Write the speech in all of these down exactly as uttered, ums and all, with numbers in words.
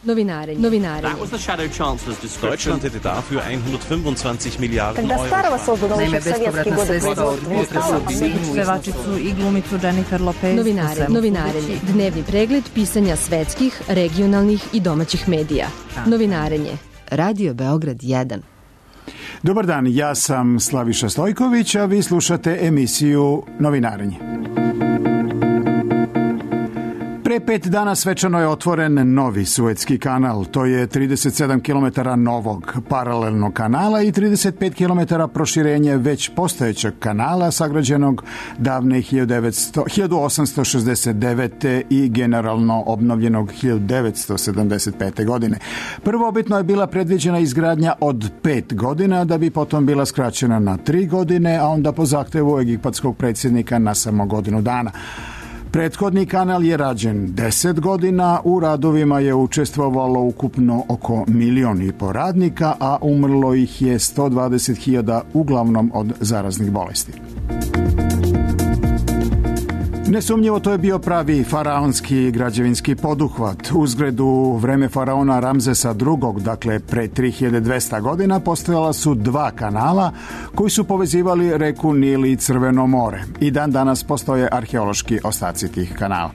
Novinarenje. Novinarenje. That was the Shadow Chancellor's description. Deutschland hätte dafür hundertfünfundzwanzig Milliarden Когда старого Euro. создано Naime, еще в советские bespovratna годы sredstva od производства, pevačicu i glumicu Jennifer Lopez. Novinare, novinarenje. Dnevni pregled pisanja svetskih, regionalnih i domaćih medija. Novinarenje. Radio Beograd jedan. Dobar dan, ja sam Slaviša Stojković, a vi slušate emisiju Novinarenje. Pre pet dana svečano je otvoren novi Suetski kanal. To je trideset sedam kilometara novog paralelnog kanala i trideset pet kilometara proširenje već postojećeg kanala sagrađenog davne hiljadu osamsto šezdeset devete. i generalno obnovljenog hiljadu devetsto sedamdeset pete. godine. Prvobitno je bila predviđena izgradnja od pet godina, da bi potom bila skraćena na tri godine, a onda po zahtevu egipatskog predsjednika na samo godinu dana. Prethodni kanal je rađen deset godina, u radovima je učestvovalo ukupno oko milion i po radnika, a umrlo ih je sto dvadeset hiljada uglavnom od zaraznih bolesti. Nesumnjivo to je bio pravi faraonski građevinski poduhvat. Uzgred u vreme faraona Ramzesa drugog, dakle pre tri hiljade dvesta godina, postojala su dva kanala koji su povezivali reku Nil i Crveno more. I dan danas postoje arheološki ostaci tih kanala.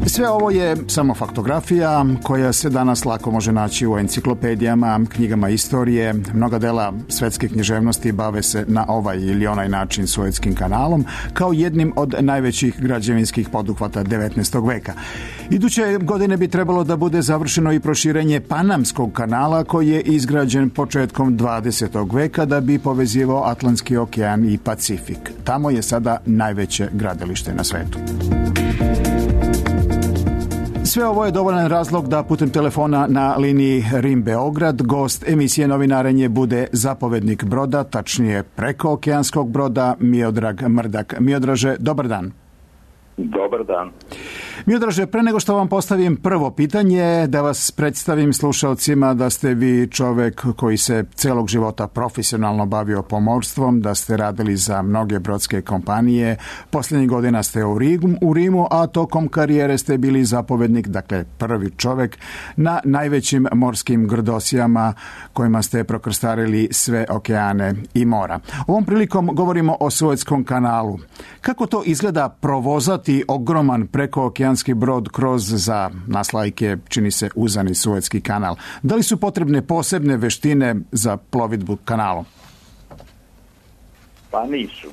Sve ovo je samo faktografija koja se danas lako može naći u enciklopedijama, knjigama istorije. Mnoga dela svetske književnosti bave se na ovaj ili onaj način Suetskim kanalom kao jednim od najvećih građevinskih poduhvata devetnaestog veka. Iduće godine bi trebalo da bude završeno i proširenje Panamskog kanala koji je izgrađen početkom dvadesetog veka da bi povezivao Atlantski okean i Pacifik. Tamo je sada najveće gradilište na svetu. Sve ovo je dovoljan razlog da putem telefona na liniji Rim-Beograd gost emisije Novinarenje bude zapovednik broda, tačnije prekookeanskog broda, Miodrag Mrdak. Miodraže, dobar dan. Dobar dan. Miodraže, pre nego što vam postavim prvo pitanje, da vas predstavim slušalcima da ste vi čovek koji se celog života profesionalno bavio pomorstvom, da ste radili za mnoge brodske kompanije, posljednjih godina ste u Rimu, u Rimu, a tokom karijere ste bili zapovednik, dakle prvi čovek na najvećim morskim grdosijama kojima ste prokrstarili sve okeane i mora. Ovom prilikom govorimo o Suetskom kanalu. Kako to izgleda provozati ogroman prekookeanski brod kroz, za nas laike, čini se uzani Suetski kanal? Da li su potrebne posebne veštine za plovidbu kanalom? Pa nisu.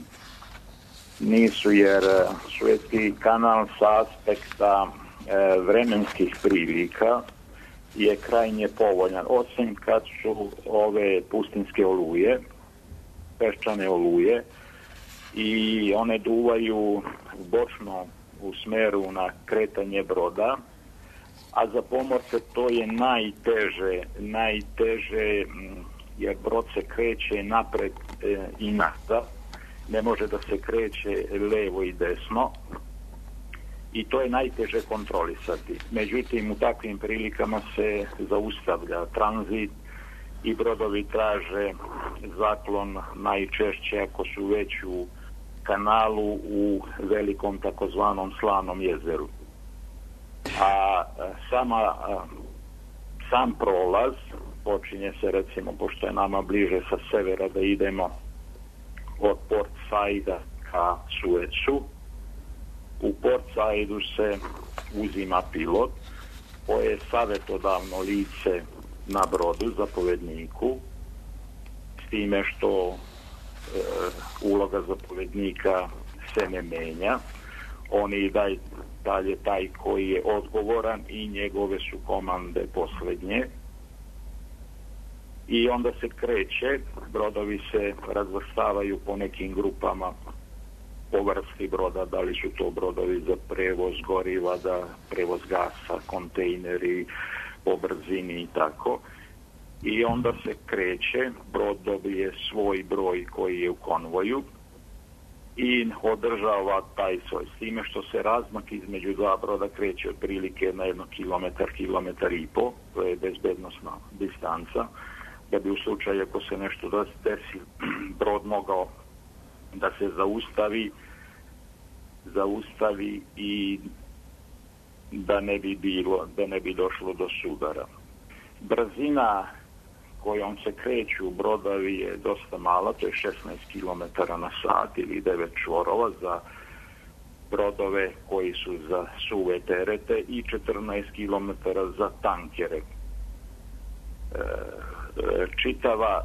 Nisu, jer Suetski kanal sa aspekta e, vremenskih prilika je krajnje povoljan, osim kad su ove pustinske oluje, peščane oluje, i one duvaju bočno u smeru na kretanje broda, a za pomorce to je najteže, najteže jer brod se kreće napred e, i nazad, ne može da se kreće levo i desno i to je najteže kontrolisati. Međutim, u takvim prilikama se zaustavlja tranzit i brodovi traže zaklon najčešće ako su već u kanalu u velikom takozvanom Slanom jezeru. A sama, sam prolaz počinje se, recimo, pošto je nama bliže sa severa, da idemo od Port Saida ka Suecu. U Port Saidu se uzima pilot koje je savjetodavno lice na brodu, zapovedniku, s time što e, uloga zapovednika se ne menja. On je daj, dalje taj koji je odgovoran i njegove su komande posljednje. I onda se kreće, brodovi se razvrstavaju po nekim grupama po vrsti broda, da li su to brodovi za prevoz goriva, da prevoz gasa, kontejneri, po brzini i tako. I onda se kreće, brod dobije svoj broj koji je u konvoju i održava taj svoj, s time što se razmak između dva broda kreće otprilike na jedno kilometar, kilometar i po, to je bezbednosna distanca, da bi u slučaju ako se nešto desi, brod mogao da se zaustavi, zaustavi i da ne bi bilo, da ne bi došlo do sudara. Brzina kojom se kreću brodovi je dosta mala, to je šesnaest kilometara na sat ili devet čvorova za brodove koji su za suve terete i četrnaest kilometara za tankere. Čitava,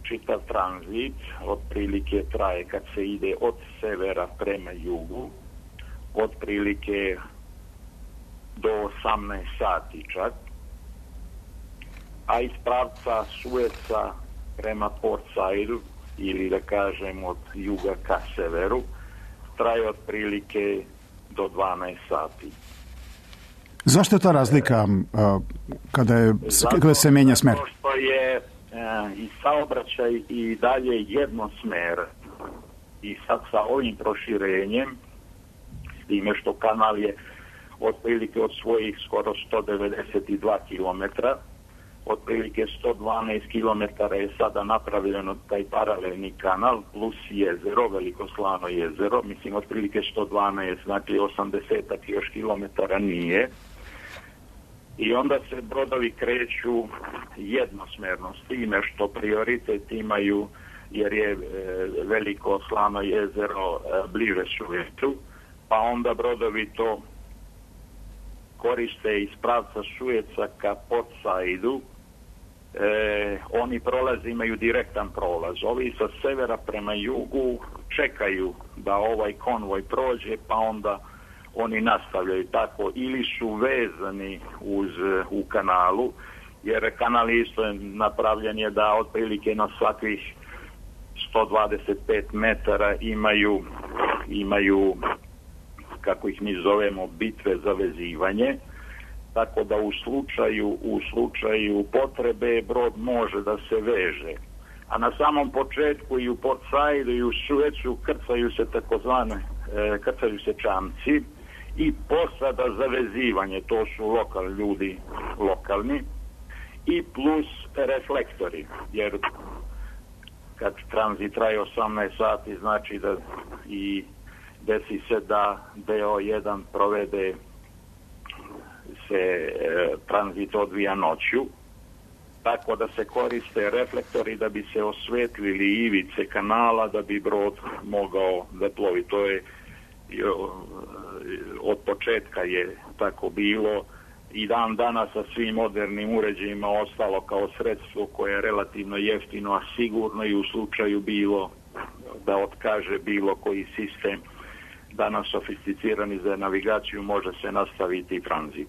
čitav tranzit otprilike traje kad se ide od severa prema jugu, otprilike do osamnaest sati čak, a iz pravca Sueca prema Port Saidu, ili da kažem od juga ka severu, traje otprilike do dvanaest sati. Zašto je ta razlika uh, kada, je, kada se menja smer? Zato što je uh, i saobraćaj i dalje jednosmer. I sad sa ovim proširenjem, s time što kanal je otprilike od svojih skoro sto devedeset dva kilometra, otprilike sto dvanaest kilometara je sada napravljeno taj paralelni kanal plus jezero, Veliko Slano jezero, mislim otprilike sto dvanaest, znači osamdeset još kilometara nije. I onda se brodovi kreću jednosmerno s time što prioritet imaju, jer je e, Veliko Slano jezero e, bliže Suecu, pa onda brodovi to koriste iz pravca Sueca ka Port Saidu. E, oni prolaze, imaju direktan prolaz. Ovi sa severa prema jugu čekaju da ovaj konvoj prođe, pa onda oni nastavljaju tako, ili su vezani uz, u kanalu, jer kanal isto napravljen je da otprilike na svakih sto dvadeset pet metara imaju, imaju, kako ih mi zovemo, bitve za vezivanje, tako da u slučaju, u slučaju potrebe brod može da se veže. A na samom početku i u Port Saidu i u Suecu krcaju se takozvane, e, krcaju se čamci i posada za vezivanje, to su lokal ljudi lokalni, i plus reflektori, jer kad tranzit traje osamnaest sati znači da i desi se da D O jedan provede se e, tranzit odvija noću, tako da se koriste reflektori da bi se osvetlili ivice kanala da bi brod mogao da plovi. To je od početka je tako bilo i dan danas sa svim modernim uređajima ostalo kao sredstvo koje je relativno jeftino, a sigurno i u slučaju bilo da otkaže bilo koji sistem danas sofisticirani za navigaciju, može se nastaviti tranzit.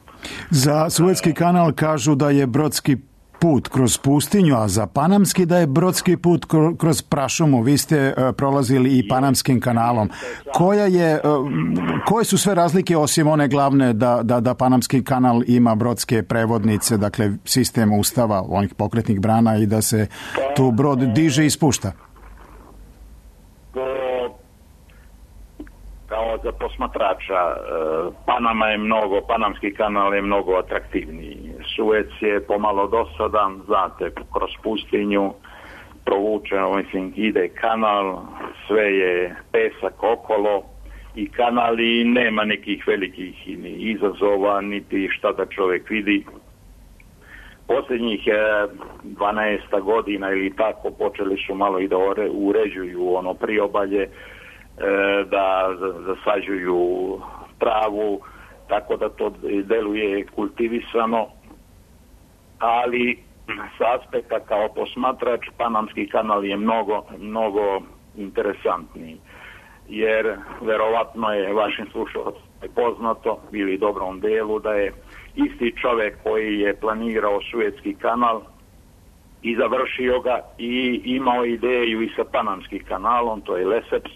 Za Suetski kanal kažu da je brodski put kroz pustinju, a za Panamski da je brodski put kroz prašumu. Vi ste uh, prolazili i Panamskim kanalom. Koja je, uh, koje su sve razlike osim one glavne da, da, da Panamski kanal ima brodske prevodnice, dakle sistem ustava, onih pokretnih brana i da se tu brod diže i spušta? Kao za posmatrača, Panama je mnogo, Panamski kanal je mnogo atraktivniji. Suec je pomalo dosadan, znate, kroz pustinju provučeno, mislim, ide kanal, sve je pesak okolo i kanal i nema nekih velikih ni izazova, niti šta da čovjek vidi. Posljednjih dvanaest godina ili tako počeli su malo i da uređuju ono priobalje, da zasađuju travu, tako da to deluje kultivisano, ali sa aspekta kao posmatrač Panamski kanal je mnogo, mnogo interesantniji, jer verovatno je vašim slušalcima poznato ili dobrom delu da je isti čovjek koji je planirao Suetski kanal i završio ga i imao ideju i sa Panamskim kanalom, to je Lesseps,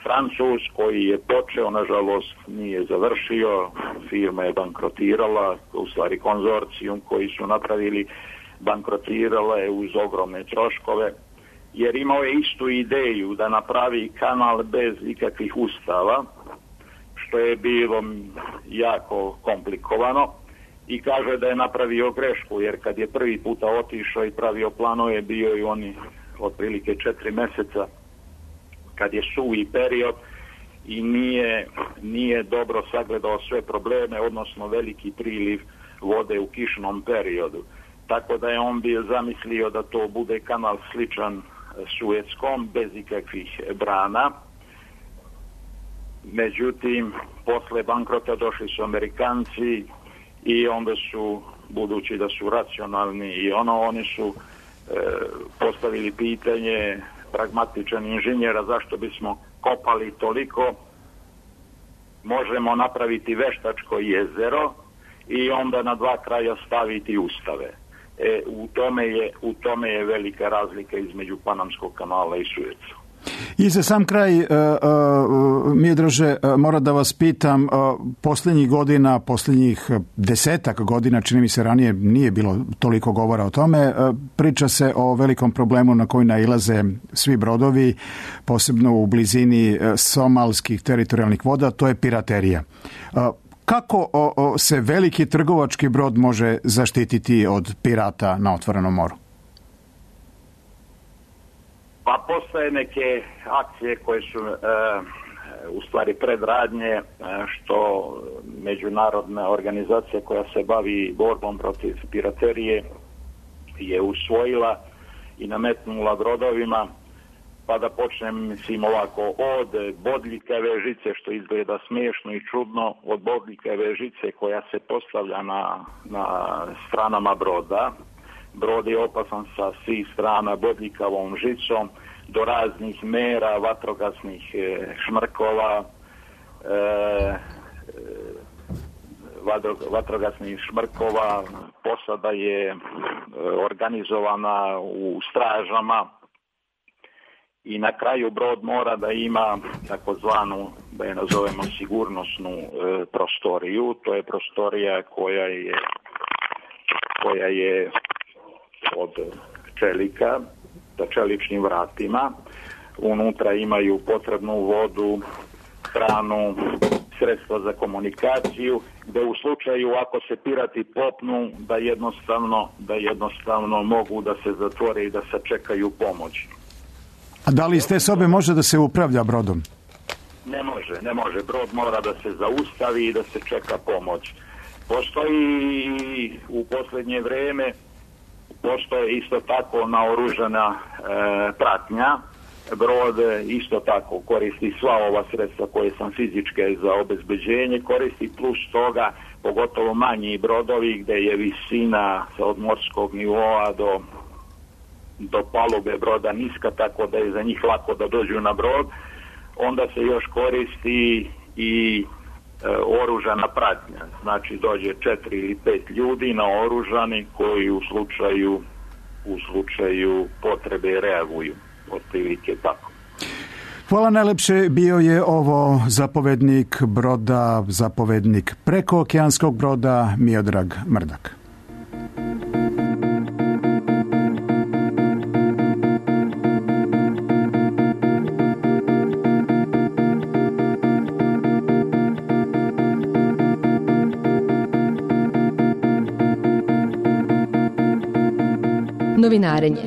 Francuz koji je počeo, nažalost nije završio, firma je bankrotirala, u stvari konzorcijum koji su napravili bankrotirala je uz ogromne troškove, jer imao je istu ideju da napravi kanal bez ikakvih ustava, što je bilo jako komplikovano, i kaže da je napravio grešku, jer kad je prvi puta otišao i pravio planove, bio i oni otprilike četiri mjeseca kad je suvi period i nije, nije dobro sagledao sve probleme, odnosno veliki priliv vode u kišnom periodu. Tako da je on bio zamislio da to bude kanal sličan Suetskom, bez ikakvih brana. Međutim, posle bankrota došli su Amerikanci i onda su, budući da su racionalni i ono, oni su e, postavili pitanje pragmatičan inženjera zašto bismo kopali toliko, možemo napraviti veštačko jezero i onda na dva kraja staviti ustave. E, u tome je, u tome je velika razlika između Panamskog kanala i Sueca. I za sam kraj, uh, uh, Miodraže, uh, moram da vas pitam, uh, posljednjih godina, posljednjih desetak godina, čini mi se ranije nije bilo toliko govora o tome, uh, priča se o velikom problemu na koji nailaze svi brodovi, posebno u blizini uh, somalskih teritorijalnih voda, to je piraterija. Uh, Kako o, o, se veliki trgovački brod može zaštititi od pirata na otvorenom moru? Pa postoje neke akcije koje su e, u stvari predradnje e, što međunarodna organizacija koja se bavi borbom protiv piraterije je usvojila i nametnula brodovima. Pa da počnem, mislim, ovako, od bodljikave žice, što izgleda smiješno i čudno, od bodljikave žice koja se postavlja na, na stranama broda. Brod je opasan sa svih strana bodljikavom žicom, do raznih mera, vatrogasnih e, šmrkova, e, vadro, vatrogasnih šmrkova, posada je e, organizovana u stražama, i na kraju brod mora da ima takozvanu, da je nazovemo, sigurnosnu e, prostoriju. To je prostorija koja je, koja je od čelika, sa čeličnim vratima. Unutra imaju potrebnu vodu, hranu, sredstva za komunikaciju, gde u slučaju ako se pirati popnu, da jednostavno, da jednostavno mogu da se zatvore i da sačekaju pomoć. A da li iz te sobe može da se upravlja brodom? Ne može, ne može. Brod mora da se zaustavi i da se čeka pomoć. Postoji u posljednje vrijeme, postoje isto tako naoružana e, pratnja. Brod isto tako koristi sva ova sredstva koje sam fizičke za obezbeđenje, koristi plus toga, pogotovo manji brodovi gdje je visina od morskog nivoa do do palube broda niska, tako da je za njih lako da dođu na brod. Onda se još koristi i e, oružana pratnja. Znači dođe četiri ili pet ljudi naoružani koji u slučaju u slučaju potrebe reaguju. Otprilike tako. Hvala najlepše. Bio je ovo zapovednik broda, zapovednik prekookeanskog broda Miodrag Mrdak. Novinarenje.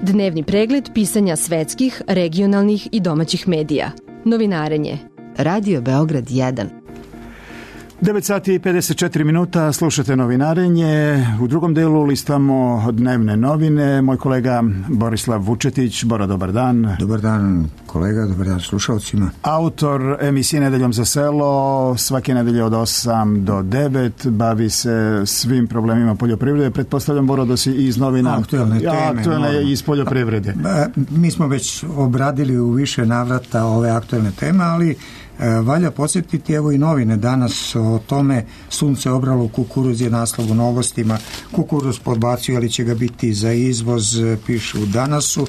Dnevni pregled pisanja svetskih, regionalnih i domaćih medija. Novinarenje. Radio Beograd jedan. devet sati i pedeset četiri minuta, slušate novinarenje. U drugom delu listamo dnevne novine. Moj kolega Borislav Vučetić. Boro, dobar dan. Dobar dan kolega, dobar dan slušalcima. Autor emisije Nedeljom za selo, svake nedelje od osam do devet, bavi se svim problemima poljoprivrede. Pretpostavljam, Boro, da si iz novina. Aktuelne teme. Aktuelne je iz poljoprivrede. Mi smo već obradili u više navrata ove aktuelne teme, ali valja podsjetiti, evo i novine danas o tome. Sunce obralo kukuruz je naslov u Novostima. Kukuruz podbacio, ali će ga biti za izvoz, piše u Danasu.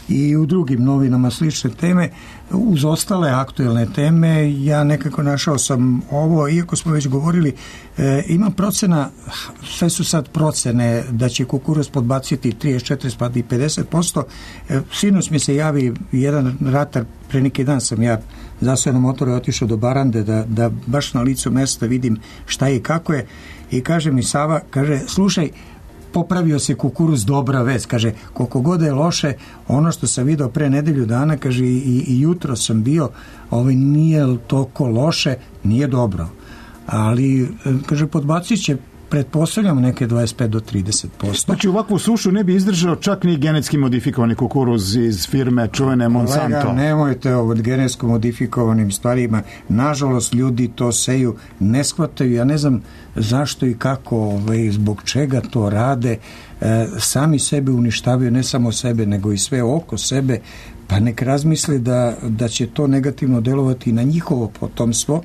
I u drugim novinama slične teme. Uz ostale aktuelne teme ja nekako našao sam ovo, iako smo već govorili, e, ima procena, sve su sad procene da će kukuruz podbaciti trideset četiri pa i pedeset posto. E, sinoć mi se javi jedan ratar, pre neki dan sam ja zasao na motoru i otišao do Barande da, da baš na licu mesta vidim šta je i kako je, i kaže mi Sava, kaže, slušaj, popravio se kukuruz, dobra vest. Kaže, koliko god je loše, ono što sam video pre nedelju dana, kaže, i, i jutro sam bio, ovaj, nije toliko loše, nije dobro. Ali, kaže, podbacit će, pretpostavljamo, neke dvadeset pet do trideset posto. Znači, ovakvu sušu ne bi izdržao čak ni genetski modifikovani kukuruz iz firme čuvene Monsanto. Kolega, nemojte o genetsko modifikovanim stvarima. Nažalost, ljudi to seju, ne shvataju. Ja ne znam zašto i kako, ovaj, zbog čega to rade. E, sami sebe uništavaju, ne samo sebe, nego i sve oko sebe. Pa nek razmisle da, da će to negativno delovati na njihovo potomstvo.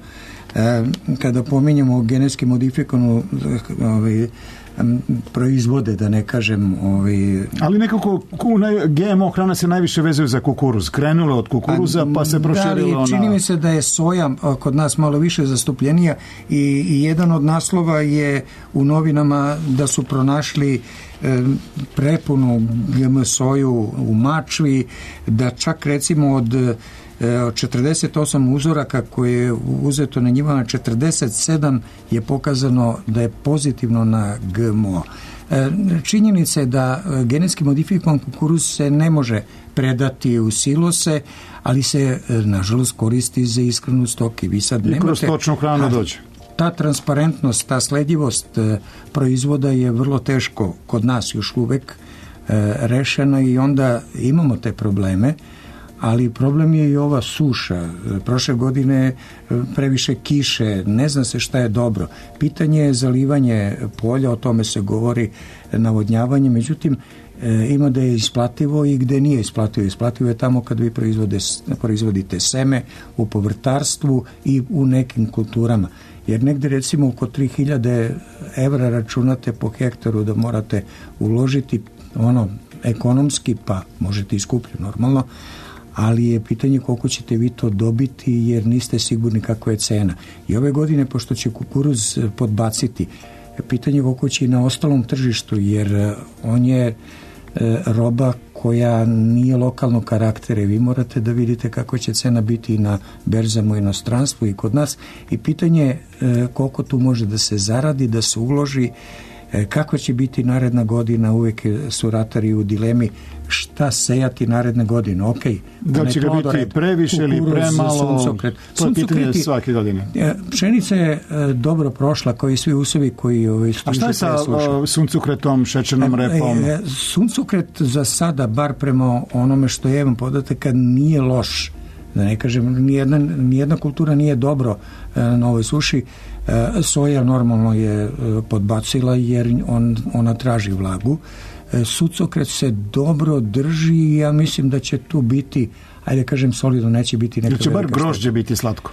E, kada pominjamo genetski modifikovanu ovaj, proizvode, da ne kažem ovaj... Ali nekako G M O hrana se najviše vezuje za kukuruz. Krenulo od kukuruza pa se proširilo na... Čini mi se da je soja kod nas malo više zastupljenija i, i jedan od naslova je u novinama da su pronašli e, prepunu G M soju u Mačvi, da čak recimo od od četrdeset osam uzoraka koje je uzeto na njima, četrdeset sedam je pokazano da je pozitivno na G M O. Činjenica je da genetski modifikovan kukuruz se ne može predati u silose, ali se nažalost koristi za ishranu stoke. Vi sad I kroz stočnu hranu dođe. Ta transparentnost, ta sledljivost proizvoda je vrlo teško kod nas još uvek rešena i onda imamo te probleme. Ali problem je i ova suša. Prošle godine previše kiše, ne zna se šta je dobro. Pitanje je zalivanje polja, o tome se govori, navodnjavanje, međutim ima da je isplativo i gde nije isplativo. Isplativo je tamo kad vi proizvode, proizvodite seme u povrtarstvu i u nekim kulturama. Jer negde recimo oko tri hiljade evra računate po hektaru da morate uložiti ono ekonomski, pa možete i skuplje normalno, ali je pitanje koliko ćete vi to dobiti jer niste sigurni kakva je cena. I ove godine, pošto će kukuruz podbaciti, pitanje koliko će i na ostalom tržištu, jer on je roba koja nije lokalnog karaktera. Vi morate da vidite kako će cena biti i na berzama u inostranstvu i kod nas. I pitanje je koliko tu može da se zaradi, da se uloži, kako će biti naredna godina. Uvek su ratari u dilemi šta sejati naredne godine. Ok, da će ga biti previše ili premalo, suncokret. To je pitanje svake godine. Pšenica je dobro prošla, kao i svi usovi koji ovaj, a šta je sa suncokretom, šećernom repom? Suncokret za sada, bar prema onome što je imam podatak, nije loš. Da ne kažem, nijedna, nijedna kultura nije dobro na ovoj suši. Soja normalno je podbacila jer on, ona traži vlagu. Suncokret se dobro drži i ja mislim da će tu biti, ajde kažem solidno, neće biti neka... Ili će bar grožđe biti slatko?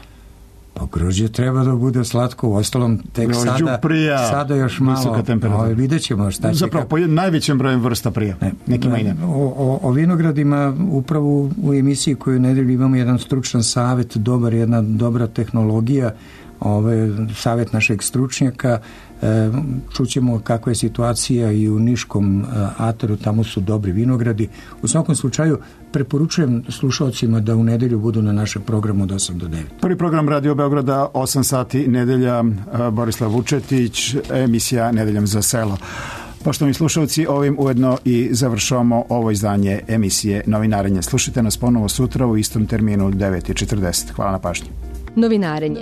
Pa grožđe treba da bude slatko, u ostalom tek grožđu sada, prija, sada još malo, o, vidjet ćemo šta će... Zapravo, po najvećem brojem vrsta prija, ne, nekima i ne. O, o, o vinogradima, upravo u emisiji koju nedelju imamo jedan stručan savet, dobar, jedna dobra tehnologija, ovaj savjet našeg stručnjaka. E, čućemo kakva je situacija i u Niškom e, ataru, tamo su dobri vinogradi. U svakom slučaju preporučujem slušalcima da u nedelju budu na našem programu od osam do devet. Prvi program Radio Beograda, osam sati nedelja, Borislav Vučetić, emisija Nedeljom za selo. Poštovani slušalci, ovim ujedno i završavamo ovo izdanje emisije Novinarenje. Slušajte nas ponovo sutra u istom terminu devet i četrdeset. Hvala na pažnji. Novinarenje.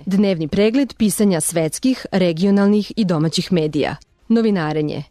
Dnevni pregled pisanja svetskih, regionalnih i domaćih medija. Novinarenje.